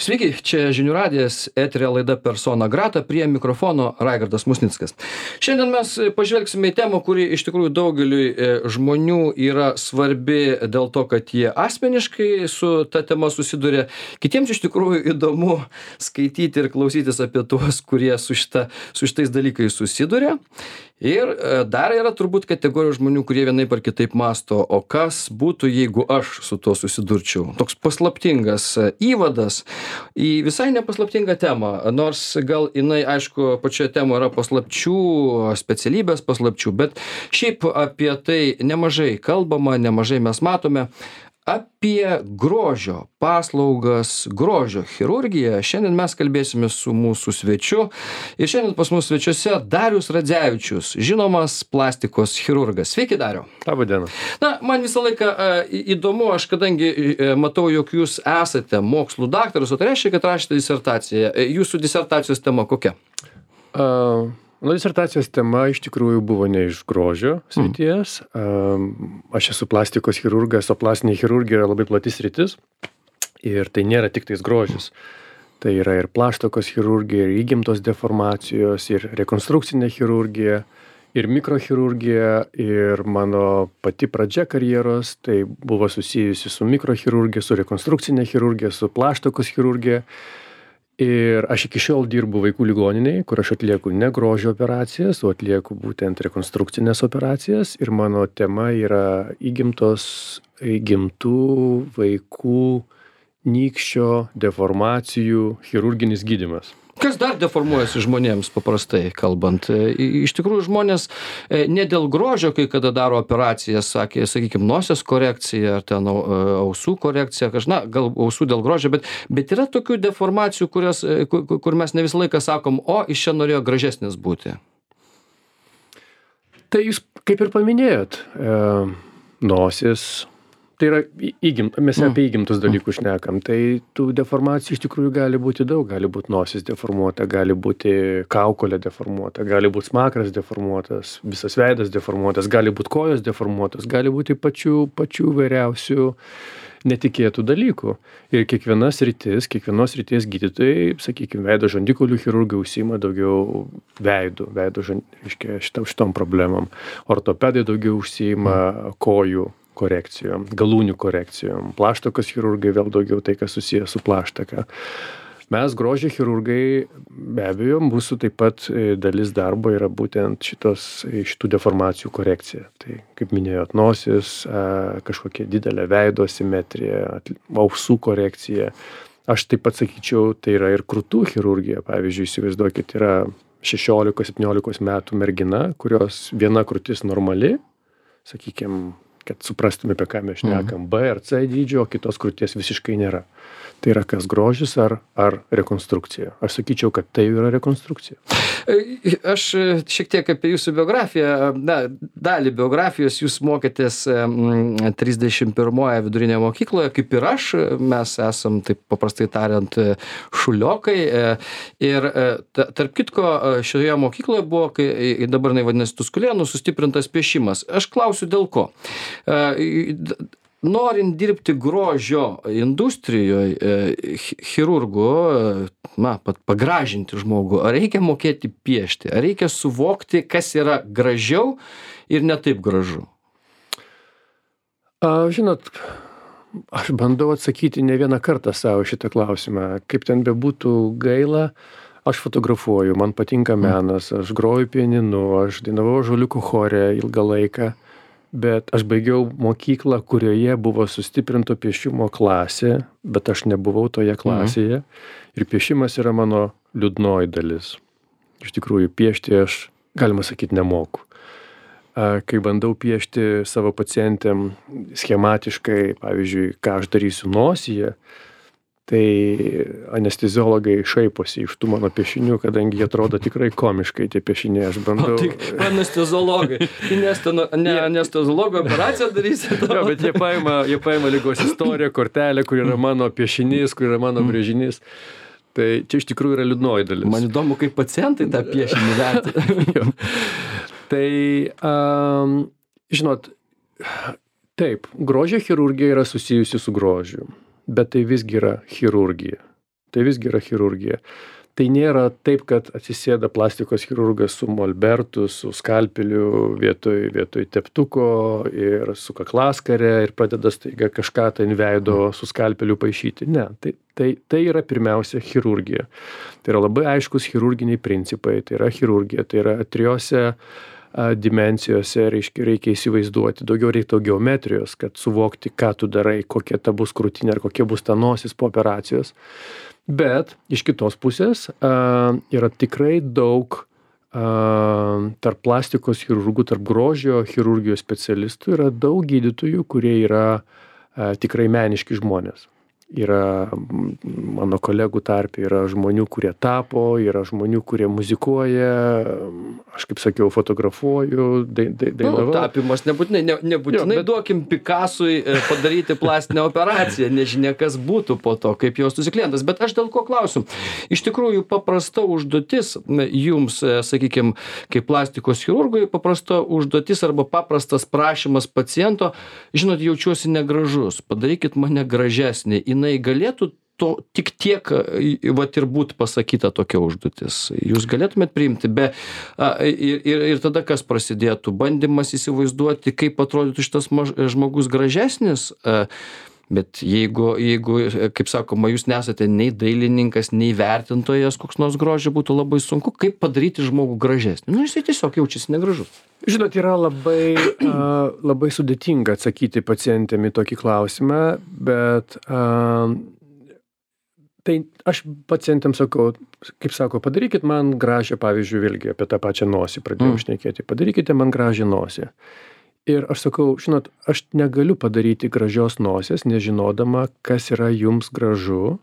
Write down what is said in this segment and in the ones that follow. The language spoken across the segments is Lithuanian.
Sveiki, čia Žinių radijas, eteryje laida Persona Grata, prie mikrofono Raigardas Musnickas. Šiandien mes pažvelgsime į temą, kuri iš tikrųjų daugeliui žmonių yra svarbi dėl to, kad jie asmeniškai su ta tema susiduria. Kitiems iš tikrųjų įdomu skaityti ir klausytis apie tuos, kurie su šitais dalykais susiduria. Ir dar yra turbūt kategorija žmonių, kurie vienaip ar kitaip mąsto, o kas būtų, jeigu aš su tuo susidurčiau. Toks paslaptingas įvadas į visai nepaslaptingą temą, nors gal jinai, aišku, pačioje temoje yra paslapčių, specialybės paslapčių, bet šiaip apie tai nemažai kalbama, nemažai mes matome. Apie grožio paslaugas, grožio chirurgiją šiandien mes kalbėsime su mūsų svečiu. Ir šiandien pas mus svečiuose Darius Radzevičius, žinomas plastikos chirurgas. Sveiki, Dariau. Labą dieną. Na, man visą laiką įdomu, aš kadangi matau, jog jūs esate mokslų daktaras, o tai reiškia, kad rašėte disertaciją. Jūsų disertacijos tema kokia? Disertacijos tema iš tikrųjų buvo ne iš grožio srities. Aš esu plastikos chirurgas, o plastinė chirurgija yra labai plati sritis. Ir tai nėra tik tais grožis. Tai yra ir plaštakos chirurgija, ir įgimtos deformacijos, ir rekonstrukcinė chirurgija, ir mikrochirurgija, ir mano pati pradžia karjeros, tai buvo susijusi su mikrochirurgija, su rekonstrukcinė chirurgija, su plaštakos chirurgija. Ir aš iki šiol dirbu vaikų ligoninėje, kur aš atlieku ne grožio operacijas, o atlieku būtent rekonstrukcinės operacijas. Ir mano tema yra įgimtų vaikų nykščio deformacijų chirurginis gydymas. Kas dar deformuojasi žmonėms, paprastai kalbant? Iš tikrųjų, žmonės ne dėl grožio, kai kada daro operacijas, sakykime, nosies korekcija, ar ten ausų korekcija, gal ausų dėl grožio, bet yra tokių deformacijų, kur mes ne visą laiką sakom, o iš čia norėjo gražesnis būti. Tai jūs kaip ir paminėjot, nosis. Tai yra mes apie įgimtus dalykus šnekam. Tai tų deformacijų iš tikrųjų gali būti daug. Gali būti nosis deformuota, gali būti kaukolė deformuota, gali būti smakras deformuotas, visas veidas deformuotas, gali būti kojos deformuotas, gali būti pačių vairiausių netikėtų dalykų. Ir kiekvienos ryties gydytojai, sakykime, veido žandikaulių chirurgai užsiima daugiau šitom problemom. Ortopedai daugiau užsiima kojų korekcijom, galūnių korekcijom. Plaštakos chirurgai vėl daugiau tai, kas susijęs su plaštaka. Mes grožio chirurgai, be abejo, mūsų taip pat dalis darbo yra būtent šitų deformacijų korekcija. Tai, kaip minėjot, nosis, kažkokia didelė veido asimetrija, ausų korekcija. Aš taip pat sakyčiau, tai yra ir krūtų chirurgija. Pavyzdžiui, įsivaizduokit, yra 16-17 metų mergina, kurios viena krūtis normali, sakykime, kad suprastume, apie ką mes šnekam, B ar C dydžio, o kitos krūties visiškai nėra. Tai yra kas grožis ar rekonstrukcija. Aš sakyčiau, kad tai yra rekonstrukcija. Aš šiek tiek apie jūsų biografiją. Dalį biografijos jūs mokėtės 31 vidurinėje mokykloje, kaip ir aš. Mes esam, taip paprastai tariant, šuliokai. Ir tarp kitko, šioje mokykloje buvo, kai dabar vadinasi Tuskulėnų, sustiprintas piešimas. Aš klausiu, dėl ko. Norint dirbti grožio industrijoje, chirurgu, pagražinti žmogų, ar reikia mokėti piešti, ar reikia suvokti, kas yra gražiau ir ne taip gražu? Žinot, aš bandau atsakyti ne vieną kartą savo šitą klausimą. Kaip ten bebūtų gaila, aš fotografuoju, man patinka menas, aš groju pianinu, aš dainavau ąžuoliukų chore ilgą laiką. Bet aš baigiau mokyklą, kurioje buvo sustiprinto piešimo klasė, bet aš nebuvau toje klasėje. Ir piešimas yra mano liūdnoji dalis. Iš tikrųjų, piešti aš, galima sakyti, nemoku. Kai bandau piešti savo pacientėm schematiškai, pavyzdžiui, ką aš darysiu nosyje, tai anesteziologai šaiposi iš tų mano piešinių, kadangi jie atrodo tikrai komiškai tie piešiniai. Aš bandau... Anesteziologai. Ne anesteziologo operaciją darysi. Jo, bet jie paima ligos istoriją, kortelę, kur yra mano piešinys, kur yra mano brėžinys. Tai čia iš tikrųjų yra liūdnoji dalis. Man įdomu, kaip pacientai tą piešinį vertina. Tai, žinot, taip, grožio chirurgija yra susijusi su grožiu. Bet tai visgi yra chirurgija. tai visgi yra chirurgija. Tai nėra taip, kad atsisėda plastikos chirurgas su molbertu, su skalpeliu vietoj teptuko ir su kaklaskare ir pradeda staiga kažką tai ant veido su skalpeliu paišyti. Ne, tai yra pirmiausia chirurgija. Tai yra labai aiškus chirurginiai principai, tai yra chirurgija, tai yra trijose dimensijose, reikia įsivaizduoti, reikia geometrijos, kad suvokti, ką tu darai, kokia ta bus krūtinė ar kokia bus ta nosis po operacijos. Bet iš kitos pusės yra tikrai daug tarp plastikos chirurgų, tarp grožio chirurgijos specialistų yra daug gydytojų, kurie yra tikrai meniški žmonės. Yra mano kolegų tarpe, yra žmonių, kurie tapo, yra žmonių, kurie muzikuoja, aš kaip sakiau, fotografuoju, dainavau. Tapimas nebūtinai duokim Picasui padaryti plastinę operaciją, nežinia kas būtų po to, kaip jos klientas. Bet aš dėl ko klausiu. Iš tikrųjų, paprasta užduotis jums, sakykime, kaip plastikos chirurgui, paprasta užduotis arba paprastas prašymas paciento, žinot, jaučiuosi negražus, padarykit mane gražesnį. Jinai galėtų to tik tiek vat ir būt pasakyta tokia užduotis. Jūs galėtumėt priimti ir tada kas prasidėtų? Bandymas įsivaizduoti, kaip atrodytų šitas žmogus gražesnis? Bet jeigu, kaip sakoma, jūs nesate nei dailininkas, nei vertintojas, koks nors grožio, būtų labai sunku, kaip padaryti žmogų gražesnį. Jisai tiesiog jaučiasi negražus. Žinot, yra labai sudėtinga atsakyti pacientėm į tokį klausimą, bet tai aš pacientėm sakau, kaip sako, padarykit man gražią, pavyzdžiui, vėlgi apie tą pačią nosį pradėjom šnekėti, padarykite man gražią nosį. Ir aš sakau, žinot, aš negaliu padaryti gražios nosies, nežinodama, kas yra jums gražu.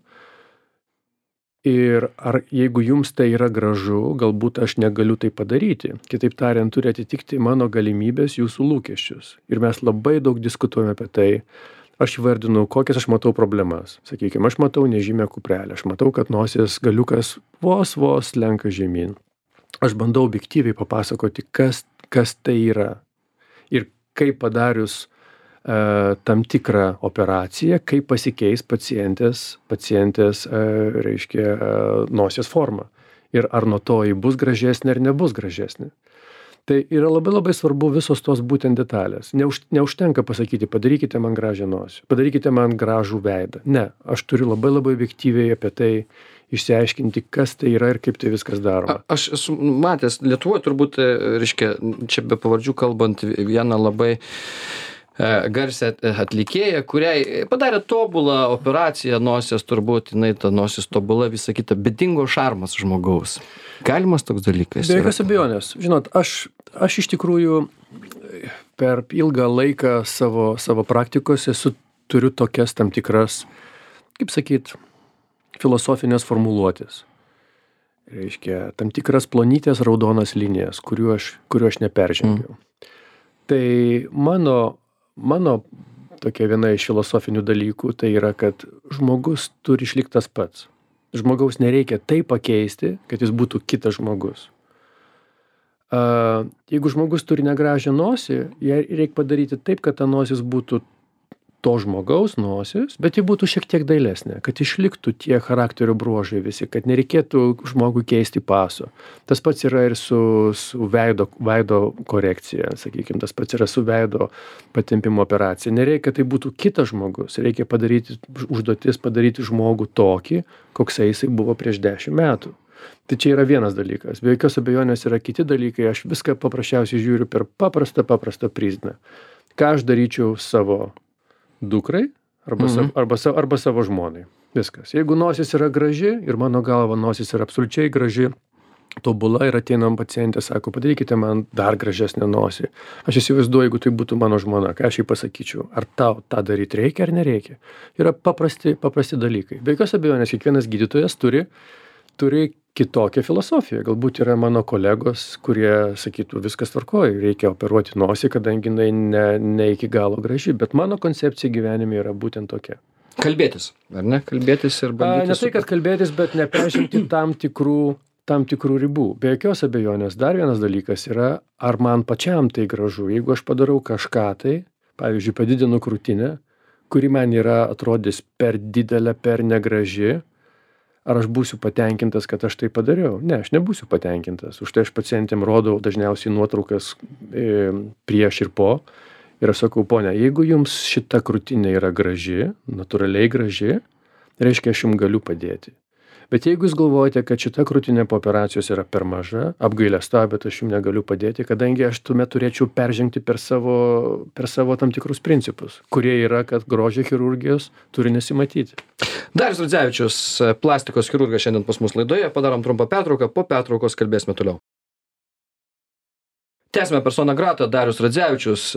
Ir ar jeigu jums tai yra gražu, galbūt aš negaliu tai padaryti. Kitaip tariant, turi atitikti mano galimybės, jūsų lūkesčius. Ir mes labai daug diskutuojame apie tai. Aš įvardinu, kokias aš matau problemas. Sakykime, aš matau nežymę kuprelę. Aš matau, kad nosies galiukas vos lenka žemyn. Aš bandau objektyviai papasakoti, kas tai yra. Ir kaip padarius tam tikrą operaciją, kaip pasikeis pacientės reiškia, nosies forma. Ir ar nuo to ji bus gražesnė ar nebus gražesnė. Tai yra labai svarbu visos tos būtent detalės. Neužtenka pasakyti, padarykite man gražią nosį, padarykite man gražų veidą. Ne, aš turiu labai objektyviai apie tai išsiaiškinti, kas tai yra ir kaip tai viskas daroma. Aš esu matęs, Lietuvoje turbūt, reiškia, čia be pavardžių kalbant, vieną labai garsią atlikėją, kuriai padarė tobulą operaciją nosies, turbūt jinai ta nosis tobula, visa kita, bet dingo šarmas žmogaus. Galimas toks dalykas? Be jokios abejonės. Žinot, aš iš tikrųjų per ilgą laiką savo praktikos turiu tokias tam tikras, kaip sakyt, filosofinės formuluotės. Reiškia, tam tikras plonytės raudonas linijas, kuriuo aš neperžengiau. Tai mano tokia viena iš filosofinių dalykų, tai yra, kad žmogus turi išlikti tas pats. Žmogaus nereikia taip pakeisti, kad jis būtų kitas žmogus. Jeigu žmogus turi negražią nosį, ją reikia padaryti taip, kad ta nosis būtų to žmogaus nosis, bet ji būtų šiek tiek dailesnė, kad išliktų tie charakterio bruožai visi, kad nereikėtų žmogui keisti paso. Tas pats yra ir su veido korekcija, sakykime, tas pats yra su veido patempimo operacija. Nereikia, tai būtų kitas žmogus, reikia padaryti žmogų tokį, koksai jisai buvo prieš 10 metų. Tai čia yra vienas dalykas. Be jokios abejonės yra kiti dalykai, aš viską paprasčiausiai žiūriu per paprastą prizmę. Ką aš daryčiau savo dukrai arba savo žmonai. Viskas. Jeigu nosis yra graži ir mano galva nosis yra absoliučiai graži, tobula ir ateinam pacientė, sako, padarykite man dar gražesnę nosį. Aš įsivaizduoju, jeigu tai būtų mano žmona, ką aš jai pasakyčiau, ar tau tą daryti reikia ar nereikia. Yra paprasti dalykai. Be jokios abejonės, kiekvienas gydytojas turi kitokią filosofiją. Galbūt yra mano kolegos, kurie sakytų, viskas tvarkoja, reikia operuoti nosį, kadangi jinai ne iki galo graži, bet mano koncepcija gyvenime yra būtent tokia. Kalbėtis, ar ne? Kalbėtis ir bandyti. Ne tai, kad kalbėtis, bet neperžengti tam tikrų ribų. Be jokios abejonės, dar vienas dalykas yra, ar man pačiam tai gražu. Jeigu aš padarau kažką tai, pavyzdžiui, padidinu krūtinę, kuri man yra atrodys per didelė, per negraži, Ar aš būsiu patenkintas, kad aš tai padariau? Ne, aš nebūsiu patenkintas. Už tai aš pacientėm rodau dažniausiai nuotraukas prieš ir po. Ir aš sakau, ponia, jeigu jums šita krūtinė yra graži, natūraliai graži, reiškia, aš jums galiu padėti. Bet jeigu jūs galvojate, kad šita krūtinė po operacijos yra per maža, apgailestauju, bet aš jums negaliu padėti, kadangi aš tuomet turėčiau peržengti per savo tam tikrus principus, kurie yra, kad grožio chirurgijos turi nesimatyti. Darius Radzevičius, plastikos chirurgas šiandien pas mus laidoje. Padarom trumpą pertrauką, po pertraukos kalbėsime toliau. Tęsime persona grata, Darius Radzevičius,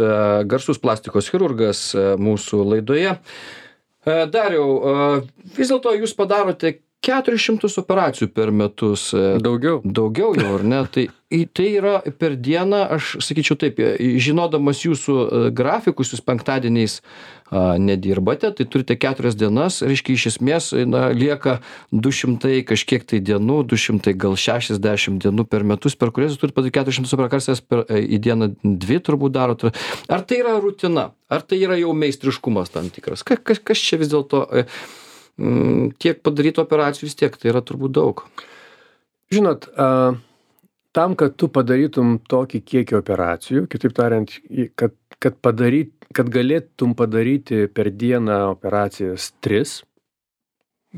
garsus plastikos chirurgas mūsų laidoje. Dariau, vis dėlto jūs padarote 400 operacijų per metus. Daugiau jau, ar ne? Tai yra per dieną, aš sakyčiau taip, žinodamas jūsų grafikus, jūs penktadieniais nedirbate, tai turite 4 dienas, reiškia, iš esmės lieka 200 kažkiek tai dienų, 200 gal 60 dienų per metus, per kurias jūs turite padaryti 400 operacijas į dieną 2 turbūt darot. Ar tai yra rutina? Ar tai yra jau meistriškumas tam tikras? Kas čia vis dėlto... tiek padarytų operacijų vis tiek, tai yra turbūt daug. Žinot, tam, kad tu padarytum tokį kiekį operacijų, kitaip tariant, kad galėtum padaryti per dieną operacijas 3,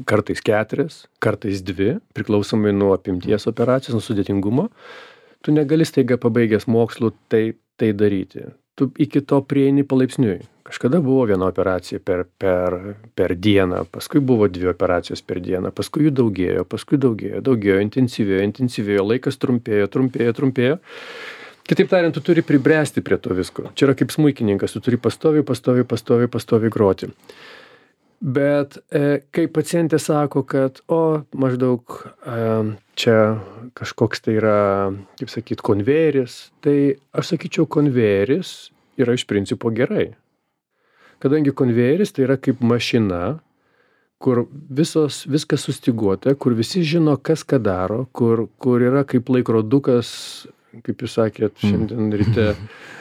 kartais 4, kartais 2, priklausomai nuo apimties operacijos, nuo sudėtingumo, tu negali staiga pabaigęs mokslų tai daryti. Tu iki to prieini palaipsniui. Kažkada buvo viena operacija per dieną, paskui buvo 2 operacijos per dieną, paskui jų daugėjo, intensyvėjo, laikas trumpėjo. Kitaip tariant, tu turi pribręsti prie to visko. Čia yra kaip smuikininkas, tu turi pastoviai groti. Bet kai pacientė sako, kad maždaug čia kažkoks tai yra, kaip sakyt, konvejeris, tai aš sakyčiau, konvejeris yra iš principo gerai. Kadangi konvejeris tai yra kaip mašina, kur viskas sustyguota, kur visi žino, kas ką daro, kur yra kaip laikrodukas, kaip jūs sakėt, šiandien ryte,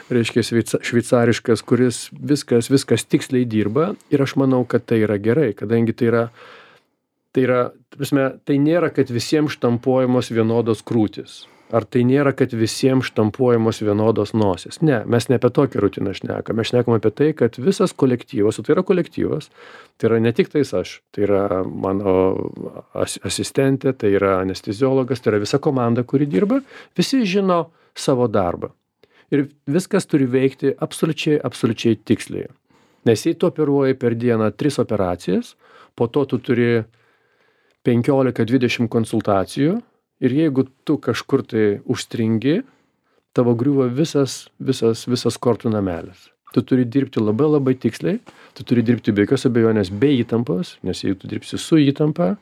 reiškia šveicariškas, kuris viskas tiksliai dirba, ir aš manau, kad tai yra gerai, kadangi tai nėra, kad visiems štampuojamos vienodos krūtis. Ar tai nėra, kad visiems štampuojamos vienodos nosis? Ne, mes ne apie tokią rutiną šnekame. Mes šnekame apie tai, kad visas kolektyvas, o tai yra kolektyvas, tai yra ne tik tais aš, tai yra mano asistentė, tai yra anesteziologas, tai yra visa komanda, kuri dirba, visi žino savo darbą. Ir viskas turi veikti absoliučiai tiksliai. Nes jei tu operuoji per dieną 3 operacijas, po to tu turi 15-20 konsultacijų, ir jeigu tu kažkur tai užstringi, tavo griūva visas kortų namelis. Tu turi dirbti labai tiksliai, tu turi dirbti be jokios abejonės be įtampos, nes jeigu tu dirbsi su įtampa,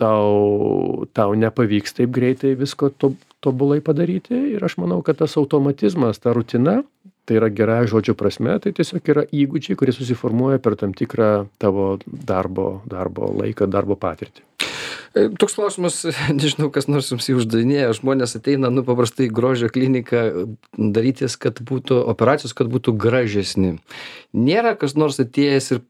tau nepavyks taip greitai visko tobulai padaryti. Ir aš manau, kad tas automatizmas, ta rutina, tai yra gera žodžio prasme, tai tiesiog yra įgūdžiai, kurie susiformuoja per tam tikrą tavo darbo laiką, darbo patirtį. Toks klausimas, nežinau, kas nors jums jį uždavinėja, žmonės ateina, paprastai grožio kliniką darytis, kad būtų operacijos, kad būtų gražesni. Nėra kas nors atėjęs ir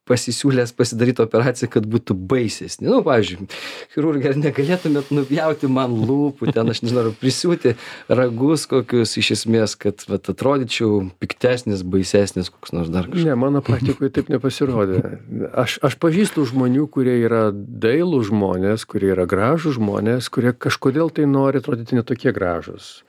pasisiūlęs pasidaryti operaciją, kad būtų baisesnė. Pavyzdžiui, chirurgai, ar negalėtumėt nupjauti man lūpų, ten, aš nežinau, prisiūti ragus kokius iš esmės, kad atrodyčiau piktesnis, baisesnis, koks nors dar kažkas. Ne, mano praktikoje taip nepasirodė. Aš pažįstu žmonių, kurie yra dailų žmonės, kurie yra gražų žmonės, kurie kažkodėl tai nori atrodyti netokie gražūs.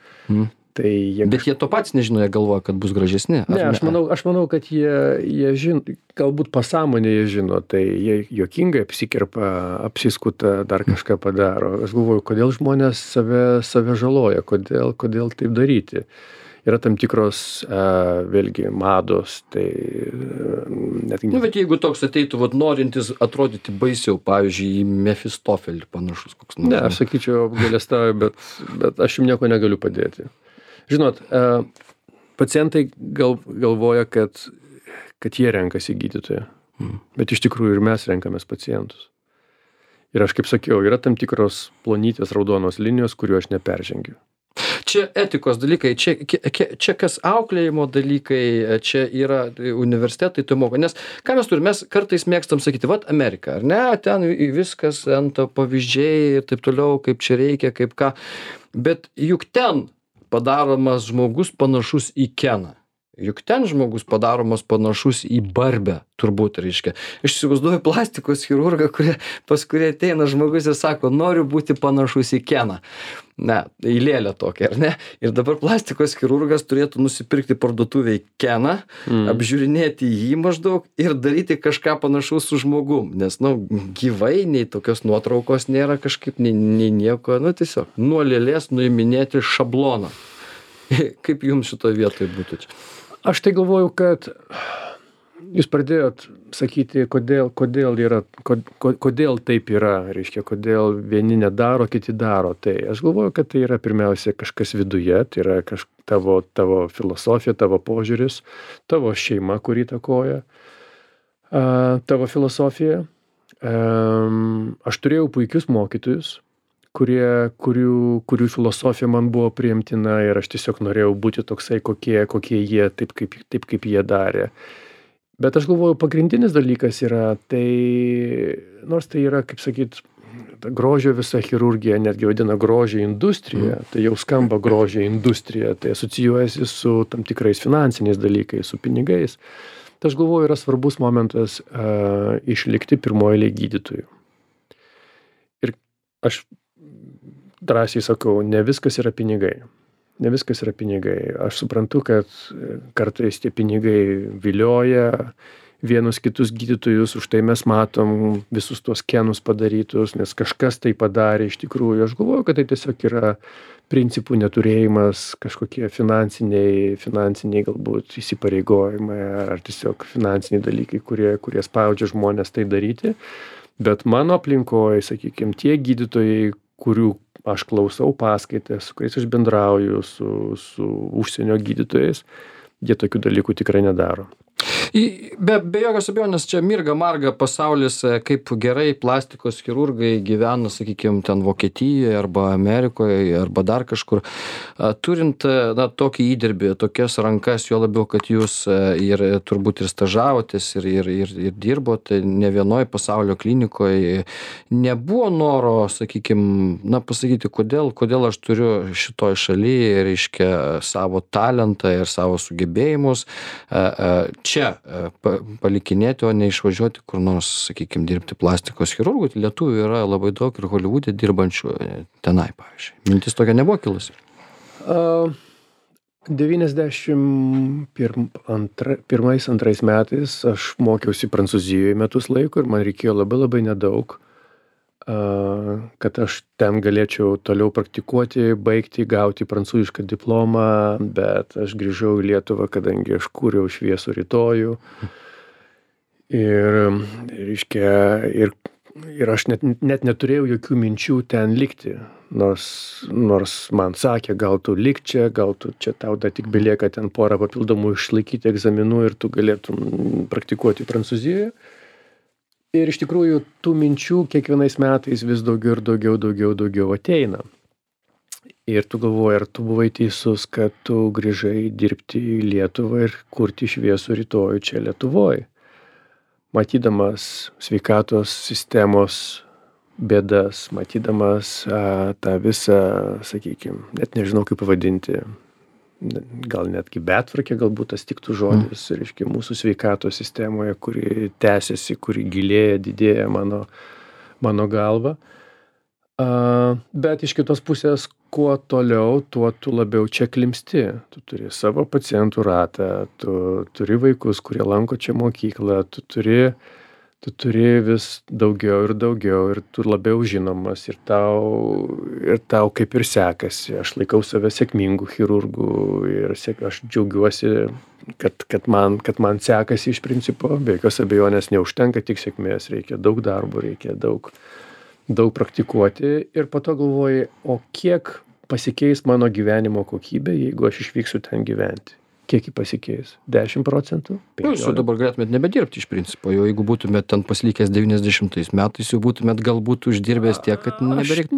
Bet jie to patys nežino, jie galvoja, kad bus gražesni. Ne, aš manau, kad jie žino, galbūt pasąmonėje jie žino, tai jie juokingai apsikerpa, apsiskuta, dar kažką padaro. Aš galvoju, kodėl žmonės save žaloja, kodėl taip daryti. Yra tam tikros, vėlgi, mados, tai... Bet jeigu toks ateitų, norintis atrodyti baisiau, pavyzdžiui, į Mefistofelį panašus koks nors. Ne, aš sakyčiau, apgailestauju, bet aš jums nieko negaliu padėti. Žinot, pacientai galvoja, kad jie renkasi gydytoją, bet iš tikrųjų ir mes renkamės pacientus. Ir aš kaip sakiau, yra tam tikros plonytės raudonos linijos, kurių aš neperžengiu. čia etikos dalykai, čia kas auklėjimo dalykai, čia yra universitetai, tai moko. Nes ką mes turime, mes kartais mėgstam sakyti, vat Amerika, ar ne, ten viskas ant pavyzdžiai ir taip toliau, kaip čia reikia, kaip ką. Bet juk ten padaromas žmogus panašus į Keną. Juk ten žmogus padaromas panašus į Barbę, turbūt, reiškia. Aš įsivaizduoju plastikos chirurgą, pas kurį ateina žmogus ir sako, noriu būti panašus į Keną. Ne, į lėlę tokią, ar ne? Ir dabar plastikos chirurgas turėtų nusipirkti parduotuviai Keną, apžiūrinėti jį maždaug ir daryti kažką panašaus su žmogum. Nes, gyvai nei tokios nuotraukos nėra kažkaip, nei nieko, tiesiog nuo lėlės nuiminėti šabloną. Kaip jums šitoje vietoje būtų čia? Aš tai galvoju, kad jūs pradėjot sakyti, kodėl taip yra, reiškia, kodėl vieni nedaro, kiti daro. Tai aš galvoju, kad tai yra pirmiausia kažkas viduje, tai yra tavo filosofija, tavo požiūris, tavo šeima, kuri įtakoja tavo filosofiją. Aš turėjau puikius mokytojus, kurių filosofija man buvo priimtina ir aš tiesiog norėjau būti toksai, kokie jie, taip kaip jie darė. Bet aš galvoju, pagrindinis dalykas yra, nors tai yra, kaip sakyt, grožio visa chirurgija, netgi vadina grožio industrija, tai jau skamba grožio industrija, tai asocijuojasi su tam tikrais finansiniais dalykais, su pinigais. Tai aš galvoju, yra svarbus momentas išlikti pirmojo eilėje gydytojų. Ir aš drąsiai sakau, ne viskas yra pinigai. Ne viskas yra pinigai. Aš suprantu, kad kartais tie pinigai vilioja vienus kitus gydytojus, už tai mes matom visus tuos Kenus padarytus, nes kažkas tai padarė iš tikrųjų. Aš galvoju, kad tai tiesiog yra principų neturėjimas, kažkokie finansiniai galbūt įsipareigojimai ar tiesiog finansiniai dalykai, kurie spaudžia žmonės tai daryti. Bet mano aplinkoje, sakykime, tie gydytojai, kurių aš klausau paskaitas, su kuriais aš bendrauju, su užsienio gydytojais, jie tokių dalykų tikrai nedaro. Be jokios abejonės, čia mirga marga pasaulis, kaip gerai plastikos chirurgai gyvena, sakykime, ten Vokietijoje arba Amerikoje arba dar kažkur. Turint tokį įdirbį, tokias rankas, jo labiau, kad jūs ir turbūt ir stažavotės ir dirbote ne vienoje pasaulio klinikoje, nebuvo noro, sakykime, pasakyti, kodėl aš turiu šitoj šalyje, reiškia, savo talentą ir savo sugebėjimus čia palikinėti, o ne išvažiuoti kur nors, sakykime, dirbti plastikos chirurgų. Lietuvių yra labai daug ir Holivude dirbančių tenai, pavyzdžiui. Mintis tokia nebuvo kilusi? 91-2 metais aš mokiausi Prancūzijoje metus laiko ir man reikėjo labai nedaug, kad aš ten galėčiau toliau praktikuoti, baigti, gauti prancūzišką diplomą, bet aš grįžau į Lietuvą, kadangi aš kūriau šviesų rytojų. Ir aš net neturėjau jokių minčių ten likti, nors man sakė, gal tu lik čia, gal tu čia tau dar tik belieka ten porą papildomų išlaikyti egzaminų ir tu galėtum praktikuoti Prancūzijoje. Ir iš tikrųjų tų minčių kiekvienais metais vis daugiau ir daugiau ateina. Ir tu galvoji, ar tu buvai teisus, kad tu grįžai dirbti į Lietuvą ir kurti šviesų rytojų čia Lietuvoje. Matydamas sveikatos sistemos bėdas, matydamas tą visą, sakykime, net nežinau kaip pavadinti, gal netgi betvarkė, galbūt tas tiktų žodis, reiškia, mūsų sveikatos sistemoje, kuri tęsiasi, kuri gilėja, didėja mano galva. Bet iš kitos pusės, kuo toliau, tuo tu labiau čia klimpsti. Tu turi savo pacientų ratą, tu turi vaikus, kurie lanko čia mokyklą, tu turi vis daugiau ir tu labiau žinomas ir tau kaip ir sekasi. Aš laikau save sėkmingų chirurgų ir aš džiaugiuosi, kad man sekasi iš principo. Be jokios abejonės neužtenka tik sėkmės, reikia daug darbo, reikia daug praktikuoti ir po to galvoji, o kiek pasikeis mano gyvenimo kokybė, jeigu aš išvyksiu ten gyventi. Kiek jį pasikeis? 10%? Jūs jau dabar galėtumėt nebedirbti iš principo, jau jeigu būtumėt ten pasilikęs 90 metais, jau būtumėt galbūt uždirbęs tiek, kad nebereiktų.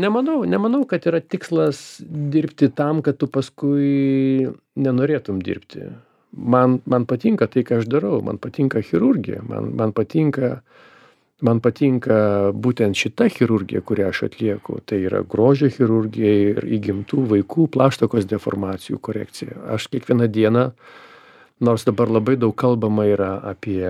Nemanau, kad yra tikslas dirbti tam, kad tu paskui nenorėtum dirbti. Man patinka tai, ką aš darau, man patinka chirurgija, man patinka būtent šita chirurgija, kurią aš atlieku. Tai yra grožio chirurgija ir įgimtų vaikų plaštakos deformacijų korekcija. Aš kiekvieną dieną, nors dabar labai daug kalbama yra apie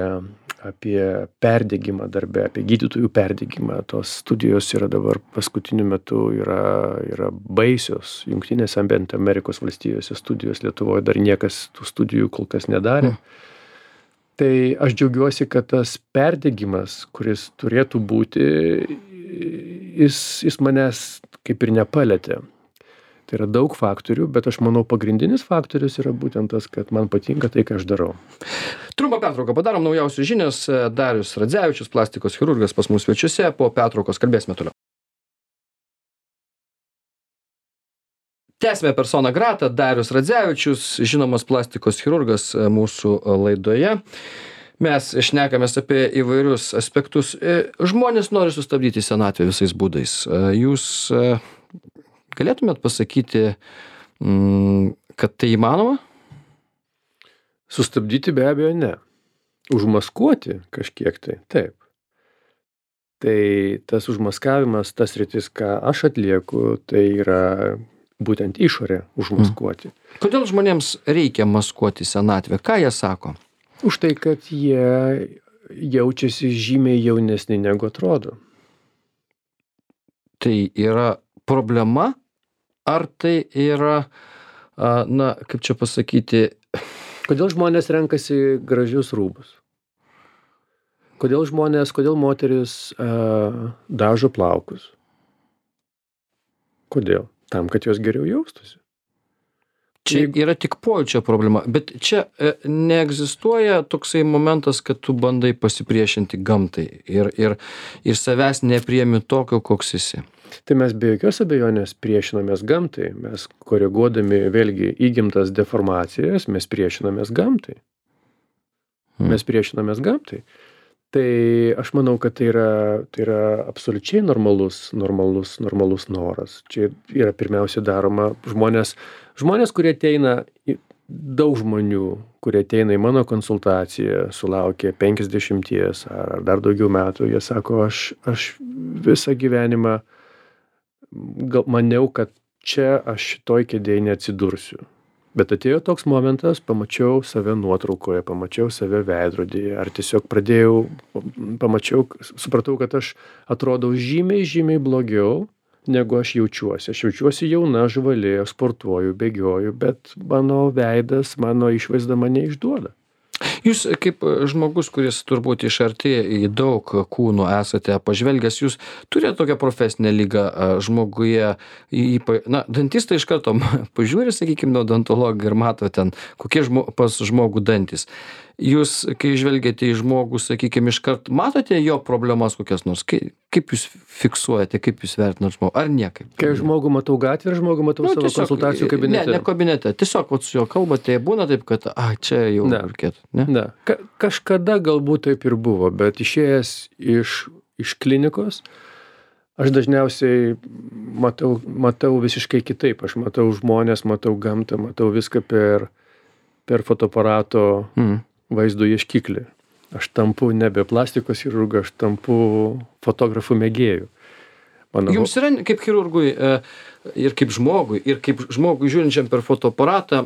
perdegimą darbe, apie gydytojų perdegimą. Tos studijos yra dabar paskutiniu metu yra baisios. Jungtinėse Amerikos valstijose studijos, Lietuvoje dar niekas tų studijų kol kas nedarė. Tai aš džiaugiuosi, kad tas perdegimas, kuris turėtų būti, jis manęs kaip ir nepalietė. Tai yra daug faktorių, bet aš manau pagrindinis faktorius yra būtent tas, kad man patinka tai, ką aš darau. Trumpą pertrauką padarom, naujausios žinios. Darius Radzevičius, plastikos chirurgas pas mus svečiuose. Po pertraukos kalbėsime toliau. Tęsime persona grata, Darius Radzevičius, žinomas plastikos chirurgas mūsų laidoje. Mes šnekamės apie įvairius aspektus. Žmonės nori sustabdyti senatvę visais būdais. Jūs galėtumėt pasakyti, kad tai įmanoma? Sustabdyti be abejo ne. Užmaskuoti kažkiek tai, taip. Tai tas užmaskavimas, tas sritis, ką aš atlieku, tai yra būtent išorę užmaskuoti. Kodėl žmonėms reikia maskuoti senatvę? Ką jie sako? Už tai, kad jie jaučiasi žymiai jaunesni negu atrodo. Tai yra problema? Ar tai yra, kaip čia pasakyti... Kodėl žmonės renkasi gražius rūbus? Kodėl moteris dažo plaukus? Kodėl? Tam, kad jos geriau jaustųsi. Čia yra tik pojūčio problema, bet čia neegzistuoja toksai momentas, kad tu bandai pasipriešinti gamtai ir savęs nepriemi tokio, koks esi. Tai mes be jokios abejonės priešinamės gamtai. Mes koreguodami vėlgi įgimtas deformacijas, mes priešinamės gamtai. Tai aš manau, kad tai yra absoliučiai normalus noras. Čia yra pirmiausia daroma žmonės, kurie ateina, daug žmonių, kurie ateina į mano konsultaciją, sulaukia 50 ar dar daugiau metų, jie sako, aš visą gyvenimą maniau, kad čia aš šitoj kėdėj neatsidursiu. Bet atėjo toks momentas, pamačiau save nuotraukoje, pamačiau save veidrodyje, ar tiesiog supratau, kad aš atrodau žymiai blogiau, negu aš jaučiuosi. Aš jaučiuosi jauna, žvali, sportuoju, bėgioju, bet mano veidas, mano išvaizda mane išduoda. Jūs kaip žmogus, kuris turbūt iš arti į daug kūnų esate pažvelgęs, jūs turite tokią profesinę ligą žmoguje, dantistai iš karto pažiūri, sakykime, odontologą ir mato ten, kokie pas žmogų dantis. Jūs, kai žvelgiate į žmogų, sakykime, iškart matote jo problemas kokias nors? Kaip jūs fiksuojate, kaip jūs vertinate žmogų? Ar niekaip? Kai žmogų matau gatvę ir žmogų matau savo konsultacijų kabinete? Ne kabinete. Tiesiog su juo kalbate, būna taip, kad čia jau reikėtų. Ne. Kažkada galbūt taip ir buvo, bet išėjęs iš klinikos, aš dažniausiai matau visiškai kitaip. Aš matau žmonės, matau gamtą, matau viską per fotoaparato vaizdo ieškiklį. Aš tampu nebe plastikos chirurgu, aš tampu fotografų mėgėjų. Jums yra kaip chirurgui ir kaip žmogui žiūrinčiam per fotoaparatą,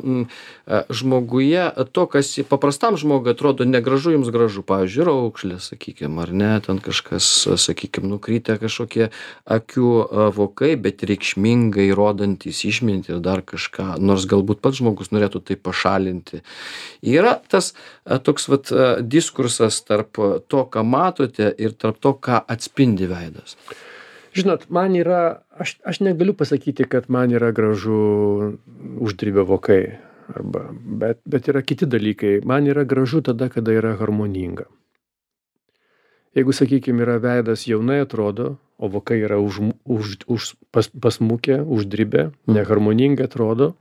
žmoguje to, kas paprastam žmogui atrodo negražu, jums gražu. Pavyzdžiui, raukšlė, sakykime, ar ne, ten kažkas, sakykime, nukrytę kažkokie akių vokai, bet reikšmingai rodantys išmintį ir dar kažką, nors galbūt pats žmogus norėtų tai pašalinti. Yra tas toks diskursas tarp to, ką matote, ir tarp to, ką atspindi veidas. Žinot, man yra, aš negaliu pasakyti, kad man yra gražu uždribę vokai, bet yra kiti dalykai. Man yra gražu tada, kada yra harmoninga. Jeigu, sakykime, yra veidas jaunai atrodo, o vokai yra pasmukę, uždribę, neharmoningai atrodo,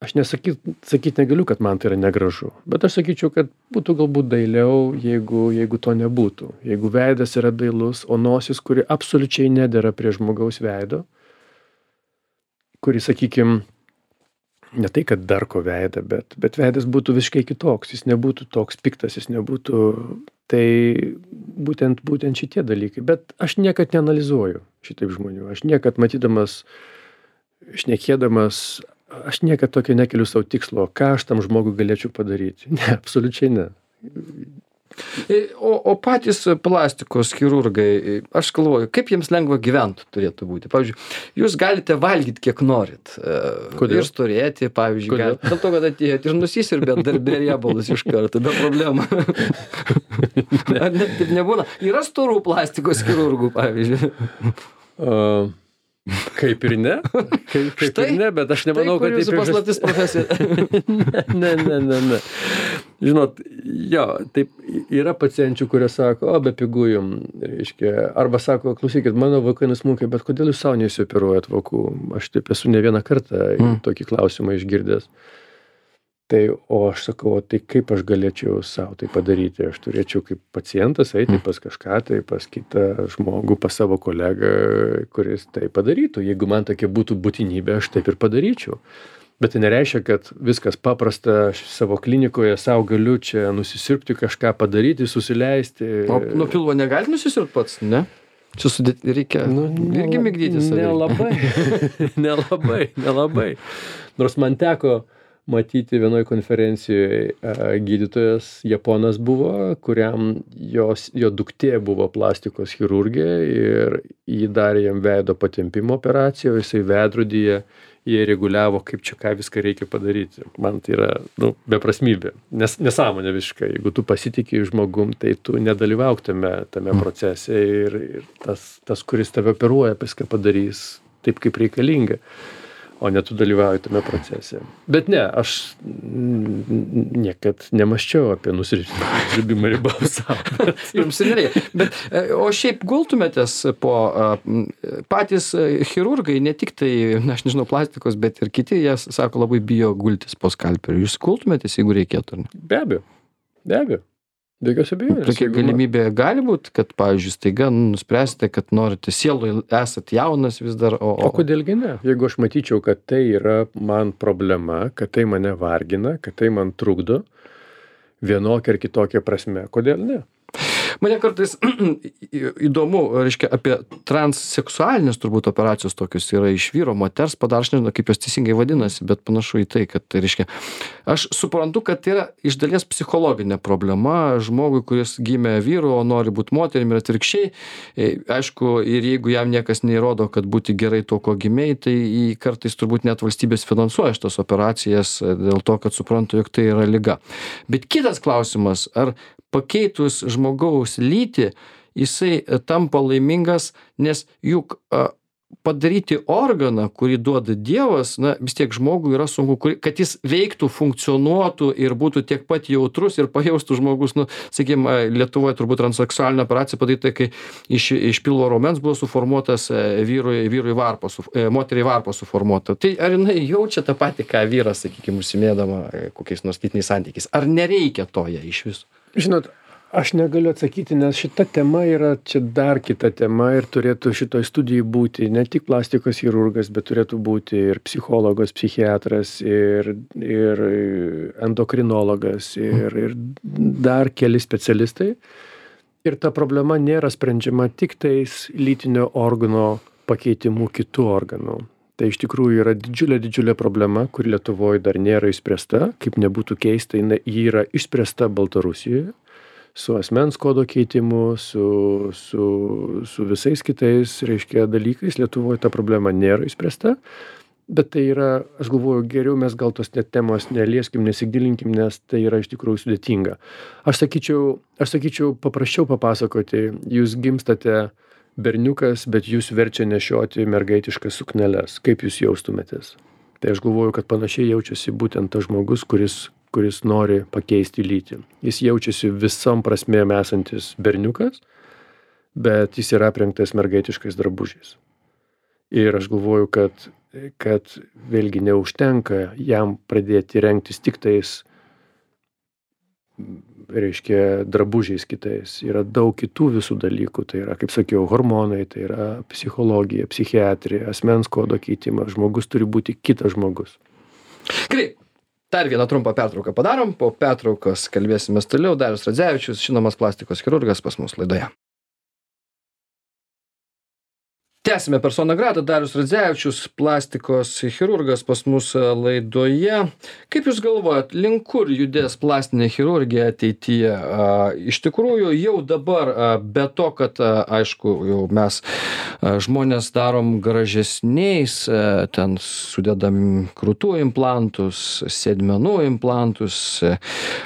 aš sakyt negaliu, kad man tai yra negražu, bet aš sakyčiau, kad būtų galbūt dailiau, jeigu to nebūtų. Jeigu veidas yra dailus, o nosis, kuri absoliučiai nedera prie žmogaus veido, kuri, sakykime, ne tai, kad darko veidą, bet veidas būtų visiškai kitoks, jis nebūtų toks piktas, jis nebūtų, tai būtent šitie dalykai. Bet aš niekad neanalizuoju šitaip žmonių, aš niekad matydamas, šnekėdamas, aš niekad tokio nekeliu savo tikslo, ką aš tam žmogui galėčiau padaryti. Ne, absoliučiai ne. O patys plastikos chirurgai, aš galvoju, kaip jiems lengva gyventi turėtų būti. Pavyzdžiui, jūs galite valgyti kiek norit. Kodėl? Ir storėti, pavyzdžiui. Dėl to, kad atėjot ir nusisirbėt darbė riebalus iš karto, be problemų. Ar net taip nebūna? Yra storų plastikos chirurgų, pavyzdžiui. Kaip ir ne, kaip ir ne, bet aš nemanau, kad jūsų paslaptis profesija. Ne. Žinot, jo, taip yra pacienčių, kurie sako, be pigų jum, reiškia, arba sako, klausykit, mano vaikai nusmunkė, bet kodėl jūs savo neįsioperuojat vokų? Aš taip esu ne vieną kartą tokį klausimą išgirdęs. Tai, o aš sakau, tai kaip aš galėčiau savo tai padaryti? Aš turėčiau kaip pacientas eiti pas kažką, tai pas kitą žmogų, pas savo kolegą, kuris tai padarytų. Jeigu man tokia būtų būtinybė, aš taip ir padaryčiau. Bet tai nereiškia, kad viskas paprasta, aš savo klinikoje savo galiu čia nusisirpti, kažką padaryti, susileisti. O nuo pilvo negali nusisirpti pats, ne? Čia reikia irgi migdyti save. Nelabai. Nors man teko matyti vienoje konferencijoje gydytojas Japonas buvo, kuriam jo duktė buvo plastikos chirurgė ir jį darė jam veido patempimo operaciją, jisai veidrodyje jie reguliavo, kaip čia ką viską reikia padaryti. Man tai yra beprasmybė, nesąmonė visiškai. Jeigu tu pasitiki žmogum, tai tu nedalyvauk tame procese ir tas, kuris tave operuoja, viską padarys taip, kaip reikalinga. O ne tu dalyvauji tame procese. Bet ne, aš niekad nemaščiau apie nusirbimą ribos savo. Jums ir nereikia. Bet, o šiaip gultumėtės po patys chirurgai, ne tik tai, aš nežinau, plastikos, bet ir kiti, jie sako, labai bijo gultis po skalperiu. Jūs gultumėtės, jeigu reikėtų, ar ne? Be abejo. Be jokios abejonės. Tokia galimybė gali būti, kad, pavyzdžiui, staiga nuspręsite, kad norite sieloj, esat jaunas vis dar, O kodėlgi ne? Jeigu aš matyčiau, kad tai yra man problema, kad tai mane vargina, kad tai man trukdo vienokia ar kitokia prasme, kodėl ne? Mane kartais įdomu, reiškia, apie transseksualinės turbūt operacijos tokios yra iš vyro, moters padaro, aš nežinau, kaip jos teisingai vadinasi, bet panašu į tai, kad, reiškia, aš suprantu, kad tai yra iš dalies psichologinė problema žmogui, kuris gimė vyru, o nori būti moterim ir atvirkščiai. Aišku, ir jeigu jam niekas neįrodo, kad būti gerai to, ko gimėjai, tai kartais turbūt net valstybės finansuoja šitas operacijas dėl to, kad supranta, jog tai yra liga. Bet kitas klausimas, ar pakeitus žmogaus lytį, jisai tampa laimingas, nes juk padaryti organą, kurį duoda Dievas, vis tiek žmogui yra sunku, kad jis veiktų, funkcionuotų ir būtų tiek pat jautrus ir pajaustų žmogus, sakykime, Lietuvoje turbūt transseksualinė operacija padaryta, kai iš pilvo raumens buvo suformuotas moteriai varpa suformuota. Tai ar jinai jaučia tą patį, ką vyras, sakykime, užsimėdama kokiais nors lytiniais santykiais? Ar nereikia to jai iš viso? Žinot, aš negaliu atsakyti, nes šita tema yra čia dar kita tema ir turėtų šitoj studijai būti ne tik plastikos chirurgas, bet turėtų būti ir psichologas, psichiatras, ir endokrinologas, ir dar keli specialistai. Ir ta problema nėra sprendžiama tik tais lytinio organo pakeitimu kitų organų. Tai iš tikrųjų yra didžiulė problema, kuri Lietuvoje dar nėra išspręsta, kaip nebūtų keista, ji yra išspręsta Baltarusijoje, su asmens kodo keitimu, su visais kitais, reiškia, dalykais. Lietuvoje ta problema nėra išspręsta, bet tai yra, aš galvoju, geriau mes gal tos net temos nelieskim, nesigilinkim, nes tai yra iš tikrųjų sudėtinga. Aš sakyčiau, paprasčiau papasakoti, jūs gimstate berniukas, bet jūs verčia nešioti mergaitiškas sukneles. Kaip jūs jaustumėtės? Tai aš galvoju, kad panašiai jaučiasi būtent tas žmogus, kuris nori pakeisti lytį. Jis jaučiasi visom prasmėm esantis berniukas, bet jis yra aprengtas mergaitiškais drabužiais. Ir aš galvoju, kad kad vėlgi neužtenka jam pradėti rengtis tik tais, reiškia, drabužiais kitais. Yra daug kitų visų dalykų. Tai yra, kaip sakiau, hormonai, tai yra psichologija, psichiatrija, asmens kodo keitimas. Žmogus turi būti kitas žmogus. Gerai. Dar vieną trumpą pertrauką padarom. Po pertraukos kalbėsimės toliau. Darius Radzevičius, žinomas plastikos chirurgas pas mus laidoje. Tęsime persona grata. Darius Radzevičius, plastikos chirurgas pas mus laidoje. Kaip Jūs galvojat, link kur judės plastinė chirurgija ateityje? Iš tikrųjų, jau dabar, be to, kad, aišku, jau mes žmonės darom gražesniais, ten sudedam krūtų implantus, sėdmenų implantus.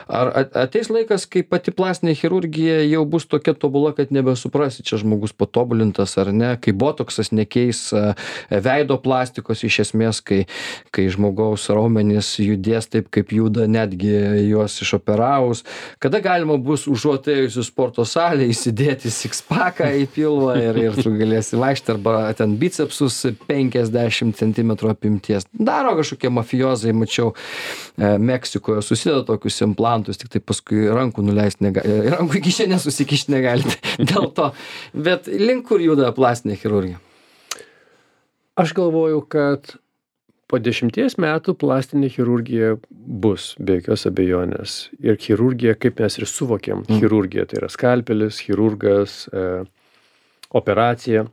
Ar ateis laikas, kai pati plastinė chirurgija jau bus tokia tobula, kad nebesuprasi, čia žmogus patobulintas ar ne, kai botoksas nekeis veido plastikos iš esmės, kai žmogaus raumenys judės taip, kaip juda netgi juos išoperavus. Kada galima bus užuot ėjus į sporto salę įsidėti six-packą į pilvą ir tu galėsi vaikšti arba ten bicepsus 50 cm apimties. Daro kažkokie mafiozai, mačiau, Meksikoje susideda tokius implantus, tik tai paskui rankų nuleisti negali, rankų į kišenę susikišti negali dėl to. Bet link kur juda plastinė chirurgija? Aš galvoju, kad po 10 metų plastinė chirurgija bus, be jokios abejonės. Ir chirurgija, kaip mes ir suvokiam, chirurgija tai yra skalpelis, chirurgas, operacija.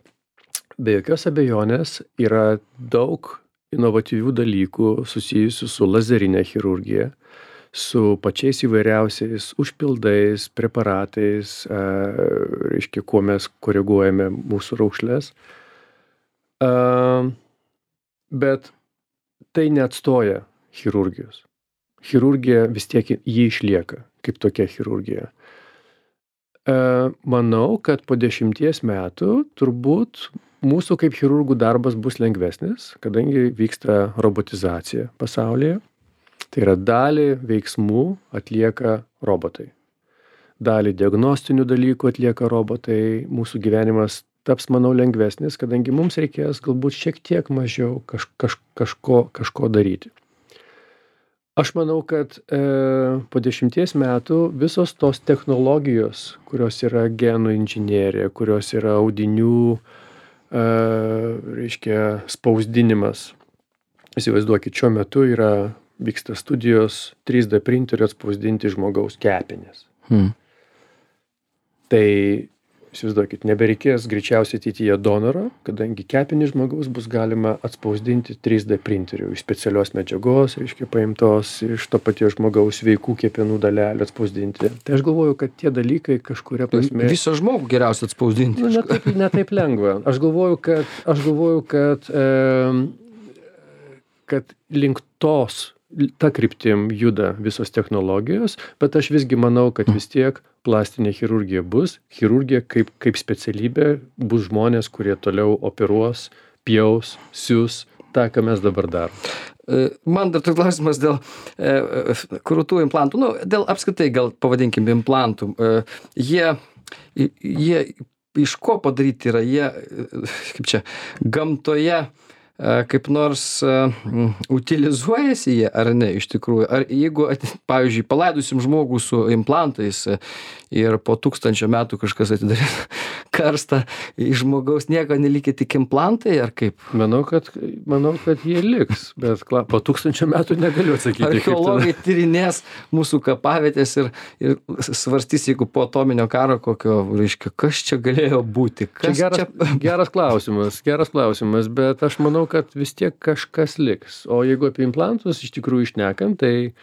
Be jokios abejonės yra daug inovatyvių dalykų susijusių su lazerinė chirurgija, su pačiais įvairiausiais užpildais, preparatais, reiškia, kuo mes koreguojame mūsų raukšles. Bet tai neatstoja chirurgijos. Chirurgija vis tiek jį išlieka kaip tokia chirurgija. Manau, kad po 10 metų turbūt mūsų kaip chirurgų darbas bus lengvesnis, kadangi vyksta robotizacija pasaulyje. Tai yra dalį veiksmų atlieka robotai. Dalį diagnostinių dalykų atlieka robotai. Mūsų gyvenimas taps, manau, lengvesnis, kadangi mums reikės galbūt šiek tiek mažiau kažko daryti. Aš manau, kad po 10 metų visos tos technologijos, kurios yra genų inžinerija, kurios yra audinių, reiškia, spausdinimas. Įsivaizduokit, šiuo metu vyksta studijos 3D printeriu atspausdinti žmogaus kepenis. Tai įsivaizduokit, nebereikės greičiausiai ateityje donoro, kadangi kepenį žmogaus bus galima atspausdinti 3D printeriu iš specialios medžiagos, reiškia, paimtos iš to paties žmogaus sveikų kepenų dalelių atspausdinti. Tai aš galvoju, kad tie dalykai kažkuria prasme... Visą žmogų geriausia atspausdinti. Ne taip lengva. Aš galvoju, kad link ta kryptim juda visos technologijos, bet aš visgi manau, kad vis tiek plastinė chirurgija bus. Chirurgija kaip specialybė bus žmonės, kurie toliau operuos, pjaus, sius tą, ką mes dabar darom. Man dar toks klausimas dėl krūtų implantų. Dėl apskritai, gal pavadinkim, implantų. Jie iš ko padaryti yra? Jie, kaip čia, gamtoje kaip nors utilizuojasi jie ar ne iš tikrųjų? Ar jeigu, pavyzdžiui, palaidosim žmogų su implantais ir po 1000 metų kažkas atidarys karstą, iš žmogaus nieko nelikę tik implantai, ar kaip? Manau, kad jie liks, bet po 1000 metų negaliu atsakyti. Archeologai tyrinės mūsų kapavietės ir svarstys, jeigu po atominio karo kokio, reiškia, kas čia galėjo būti? Geras klausimas, bet aš manau, kad vis tiek kažkas liks. O jeigu apie implantus iš tikrųjų išnekam, tai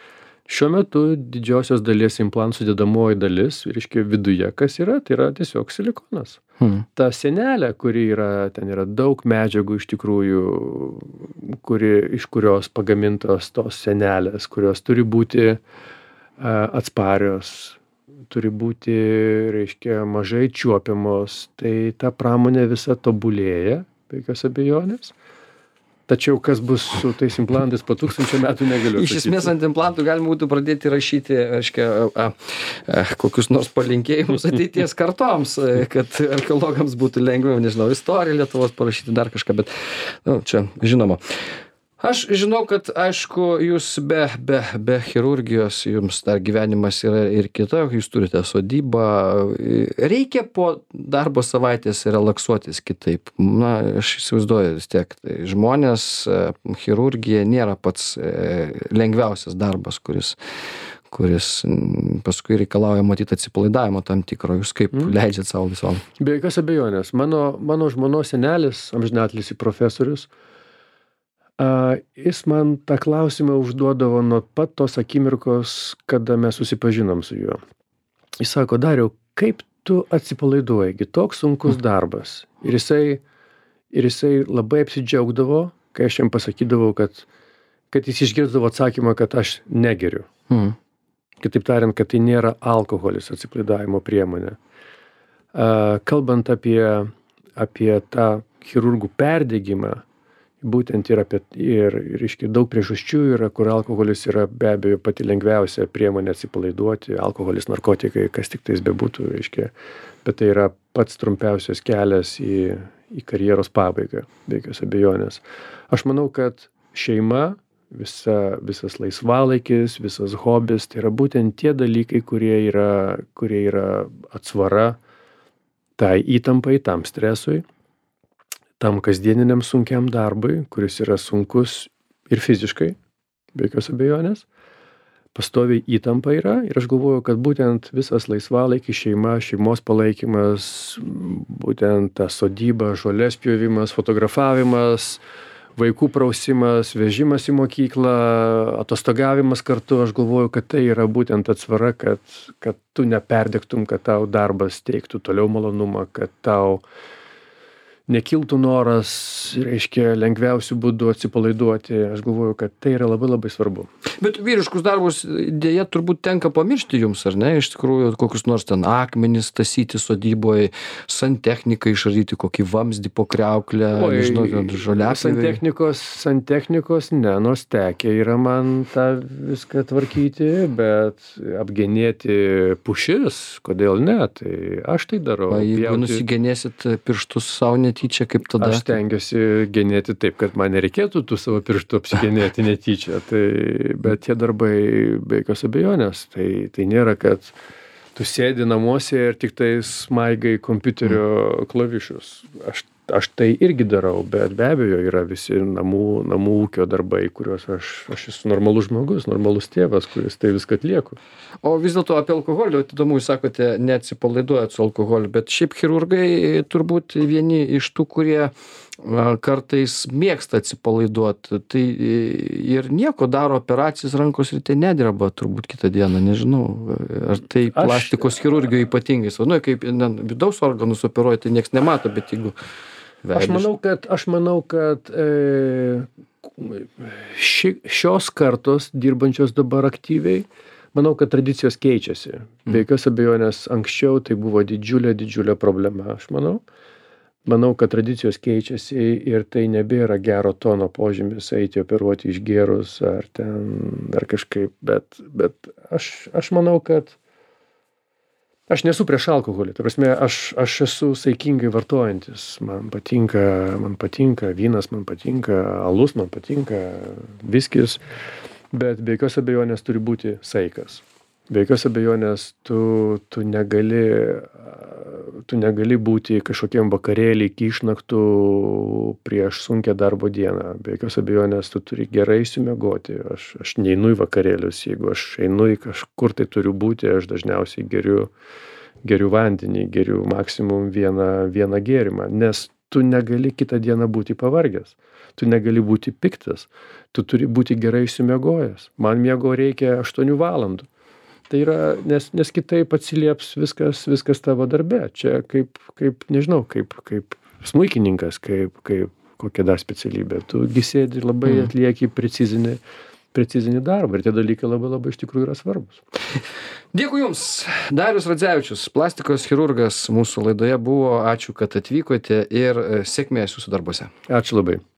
šiuo metu didžiosios dalies implantų sudėdamoji dalis, reiškia, viduje kas yra, tai yra tiesiog silikonas. Ta sienelė, ten yra daug medžiagų iš tikrųjų, iš kurios pagamintos tos sienelės, kurios turi būti atsparios, turi būti, reiškia, mažai čiuopiamos. Tai ta pramonė visa tobulėja, be jokios abejonės. Tačiau kas bus su tais implantais po 1000 metų negaliu Iš atsakyti. esmės ant implantų galima būtų pradėti rašyti, reiškia, kokius nors palinkėjimus ateities kartoms, kad archeologams būtų lengviau, nežinau, istoriją Lietuvos parašyti, dar kažką, bet čia žinoma. Aš žinau, kad, aišku, jūs be chirurgijos, jums dar gyvenimas yra ir kita, jūs turite sodybą. Reikia po darbo savaitės relaksuotis kitaip. Na, aš įsivaizduoju vis tiek. Tai žmonės, chirurgija nėra pats lengviausias darbas, kuris paskui reikalauja matyti atsipalaidavimo tam tikro. Jūs kaip leidžiat savo visom? Be jokios abejonės. Mano žmonos senelis, amžinatilsį profesorius, jis man tą klausimą užduodavo nuo pat tos akimirkos, kada mes susipažinom su juo. Jis sako, Dariau, kaip tu atsipalaiduoji, toks sunkus darbas. Ir jisai labai apsidžiaugdavo, kai aš jam pasakydavau, kad jis išgirsdavo atsakymą, kad aš negeriu. Kitaip tariant, kad tai nėra alkoholis atsipalaidavimo priemonė. Kalbant apie tą chirurgų perdegimą, būtent ir reiškia, daug priežasčių yra, kur alkoholis yra be abejo pati lengviausia priemonė atsipalaiduoti, alkoholis, narkotikai, kas tik tais bebūtų, reiškia, bet tai yra pats trumpiausias kelias į karjeros pabaigą, be jokios abejonės. Aš manau, kad šeima, visas laisvalaikis, visas hobis, tai yra būtent tie dalykai, kurie yra atsvara tai įtampai, tam stresui, tam kasdieniniam sunkiam darbui, kuris yra sunkus ir fiziškai, be jokios abejonės. Pastoviai įtampa yra ir aš galvoju, kad būtent visas laisvalaikis, šeima, šeimos palaikymas, būtent ta sodyba, žolės pjovimas, fotografavimas, vaikų prausimas, vežimas į mokyklą, atostogavimas kartu, aš galvoju, kad tai yra būtent atsvara, kad tu neperdegtum, kad tau darbas teiktų toliau malonumą, kad tau nekiltų noras, reiškia, lengviausių būdų atsipalaiduoti. Aš galvoju, kad tai yra labai labai svarbu. Bet vyriškus darbus dėja turbūt tenka pamiršti jums, ar ne? Iš tikrųjų, kokius nors ten akmenis tasyti sodyboje, santechniką išardyti, kokį vamzdį po kriauklę, nežinau, žoliapjovę. Santechnikos, ne, nors tekę yra man tą viską tvarkyti, bet apgenėti pušis, kodėl ne, tai aš tai darau. Jeigu nusigenėsit pirštus savo netyčia, kaip tada? Aš stengiuosi genėti taip, kad man nereikėtų tų savo pirštų apsigenėti netyčia, bet tie darbai be jokios abejonės, tai nėra, kad tu sėdi namuose ir tik tai smaigai kompiuterio klavišus. Aš tai irgi darau, bet be abejo yra visi namų ūkio darbai, kuriuos aš esu normalus žmogus, normalus tėvas, kuris tai viską atlieku. O vis dėlto apie alkoholį, įdomu, jūs sakote, neatsipalaiduojat su alkoholiu, bet šiaip chirurgai turbūt vieni iš tų, kurie kartais mėgsta atsipalaiduoti, tai ir nieko daro operacijas, rankos ryte nedreba turbūt kitą dieną, nežinau, ar tai plastikos chirurgijoj ypatingai, kaip vidaus organus operuoja, tai nieks nemato, bet jeigu Aš manau, kad šios kartos dirbančios dabar aktyviai, manau, kad tradicijos keičiasi. Be jokios abejonės anksčiau tai buvo didžiulė problema, aš manau. Manau, kad tradicijos keičiasi ir tai nebėra gero tono požymis eiti operuoti išgėrus ar kažkaip, bet aš manau, kad aš nesu prieš alkoholį, ta prasme, aš esu saikingai vartojantis, man patinka vynas, man patinka alus, man patinka viskis, bet be jokios abejonės turi būti saikas. Be jokios abejonės tu negali būti kažkokiam vakarėlį iki išnaktų prieš sunkią darbo dieną. Be jokios abejonės tu turi gerai išsimiegoti. Aš neinu į vakarėlius, jeigu aš einu į kažkur tai turiu būti, aš dažniausiai geriu vandenį, geriu maksimum vieną gėrimą, nes tu negali kitą dieną būti pavargęs, tu negali būti piktas, tu turi būti gerai išsimiegojęs. Man miego reikia 8 valandų. Tai yra, nes kitaip atsilieps viskas tavo darbe. Čia kaip nežinau, kaip smuikininkas, kaip kokia dar specialybė. Tu sėdi labai atlieki precizinį darbą ir tie dalykai labai iš tikrųjų yra svarbus. Dėkui Jums. Darius Radzevičius, plastikos chirurgas mūsų laidoje buvo. Ačiū, kad atvykote ir sėkmės Jūsų darbuose. Ačiū labai.